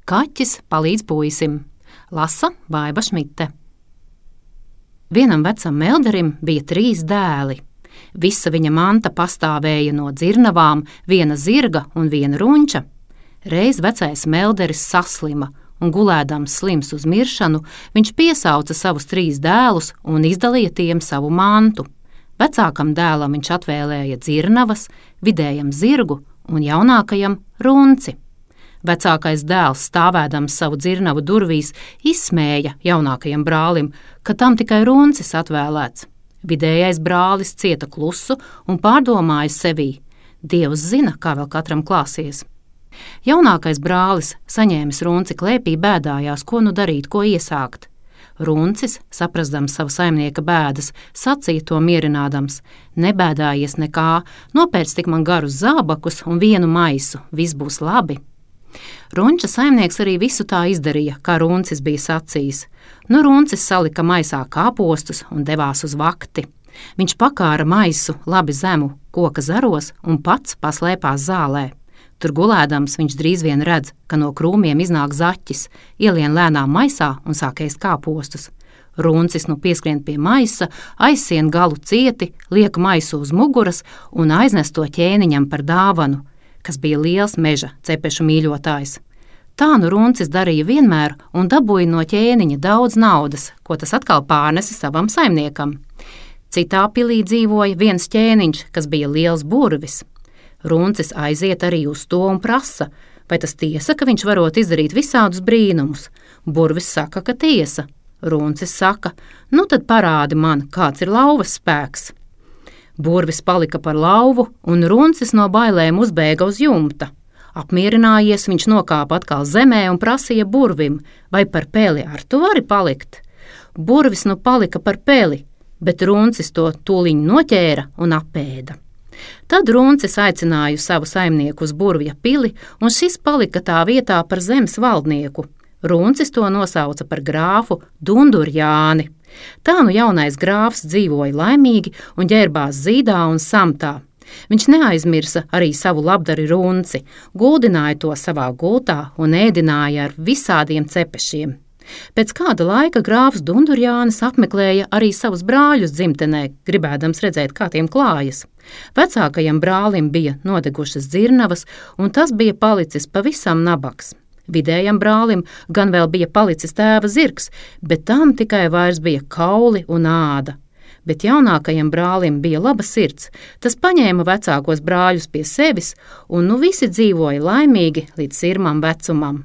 Kaķis palīdz puisim. Lasa Baiba Šmite. Vienam vecam melderim bija 3 dēli. Visa viņa manta pastāvēja no dzirnavām, viena zirga un viena runča. Reiz vecais melderis saslima, un gulēdams slims uz miršanu, viņš piesauca savus 3 dēlus un izdalīja tiem savu mantu. Vecākam dēlam viņš atvēlēja dzirnavas, vidējam zirgu un jaunākajam runci. Vecākais dēls, stāvēdams savu dzirnavu durvīs, izsmēja jaunākajam brālim, ka tam tikai runcis atvēlēts. Vidējais brālis cieta klusu un pārdomāja sevī: Dievs zina, kā vēl katram klāsies. Jaunākais brālis, saņēmis runci klēpī, bēdājās, ko nu darīt, ko iesākt. Runcis, saprastams savu saimnieka bēdas, sacīja to mierinādams: Nebēdājies nekā, nopērc tik man garus zābakus un vienu maisu, viss būs labi. Runča saimnieks arī visu tā izdarīja, kā runcis bija sacījis. Nu runcis salika maisā kāpostus un devās uz vakti. Viņš pakāra maisu labi zemu koka zaros un pats paslēpās zālē. Tur gulēdams viņš drīz vien redz, ka no krūmiem iznāk zaķis, ielien lēnām maisā un sāk ēst kāpostus. Runcis nu pieskrien pie maisa, aizsien galu cieti, liek maisu uz muguras un aiznes to ķēniņam par dāvanu, kas bija liels meža cepešu mīļotājs. Tā nu runcis darīja vienmēr un dabūja no ķēniņa daudz naudas, ko tas atkal pārnesa savam saimniekam. Citā pilī dzīvoja viens ķēniņš, kas bija liels burvis. Runcis aiziet arī uz to un prasa, vai tas tiesa, ka viņš varot izdarīt visādus brīnumus. Burvis saka, ka tiesa. Runcis saka: Nu tad parādi man, kāds ir lauvas spēks. Burvis palika par lauvu, un runcis no bailēm uzbēga uz jumta. Apmierinājies, viņš nokāpa atkal zemē un prasīja burvim: Vai par peli ar tu vari palikt? Burvis nu palika par peli, bet runcis to tūliņ noķēra un apēda. Tad runcis aicināja savu saimnieku uz burvja pili, un šis palika tā vietā par zemes valdnieku. Runcis to nosauca par grāfu Dundurjāni. Tā nu jaunais grāfs dzīvoja laimīgi un ģērbās zīdā un samtā. Viņš neaizmirsa arī savu labdari runci, guldināja to savā gultā un ēdināja ar visādiem cepešiem. Pēc kāda laika grāfs Dundurjānis apmeklēja arī savus brāļus dzimtenē, gribēdams redzēt, kā tiem klājas. Vecākajam brālim bija nodegušas dzirnavas, un tas bija palicis pavisam nabaks. Vidējam brālim gan vēl bija palicis tēva zirgs, bet tam tikai vairs bija kauli un āda. Bet jaunākajam brālim bija laba sirds. Tas paņēma vecākos brāļus pie sevis, un nu visi dzīvoja laimīgi līdz sirmam vecumam.